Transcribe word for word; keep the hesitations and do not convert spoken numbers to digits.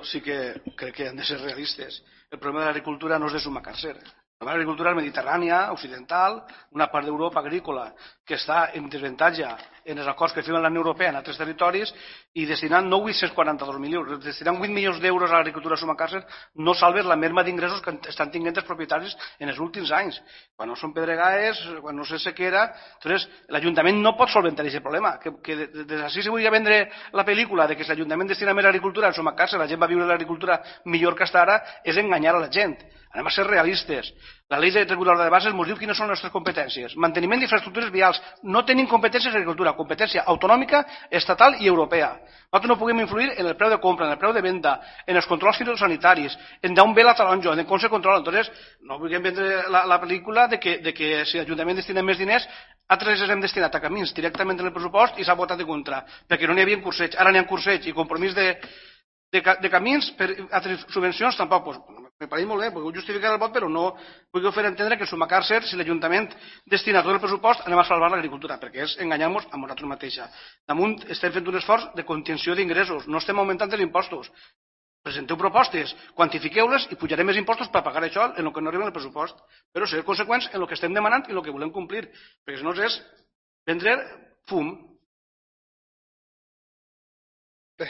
sí que crec que han de ser realistes. El problema de l'agricultura no és de Sumacàrcer. L'agricultura mediterrània, occidental, una part d'Europa agrícola que està en desavantatge en els acords que firma la Unió Europea en altres territoris i destinant no vuit-cents quaranta-dos mil euros, destinant vuit milions d'euros a l'agricultura a Sumacàrcer no salves la merma d'ingressos que estan tinguent els propietaris en els últims anys. Quan no són pedregades, quan no sé sequera, entonces l'Ajuntament no pot solventar aquest problema. Que, que des d'ací se volia vendre la pel·lícula de que si l'Ajuntament destina més a l'agricultura a Sumacàrcer, la gent va viure l'agricultura millor que està ara, és enganyar a la gent. Anem a ser realistes. La llei reguladora de bases ens diu quines són les nostres competències. Manteniment d'infraestructures vials. No tenim competències en agricultura, competència autonòmica, estatal i europea. Nosaltres no puguem influir en el preu de compra, en el preu de venda, en els controls fitosanitaris, en d'on ve la taronja, en com se controla. Entonces, no vulguem vendre la, la pel·lícula de que, de que si l'Ajuntament destina més diners, altres els hem destinat a camins directament en el pressupost i s'ha votat en contra, perquè no n'hi havia curseig. Ara n'hi ha curseig i compromís de, de, de camins per altres subvencions tampoc. Pues, me pareix molt bé, puc justificar el vot, però no puc fer entendre que en Sumacàrcer, si l'Ajuntament destina tot el pressupost, anem a salvar l'agricultura, perquè és enganyar-nos a nosaltres mateixa. Damunt estem fent un esforç de contenció d'ingressos, no estem augmentant els impostos. Presenteu propostes, quantifiqueu-les i pujarem més impostos per pagar això en el que no arriba en el pressupost. Però ser conseqüents en el que estem demanant i el que volem complir, perquè si no és vendre fum.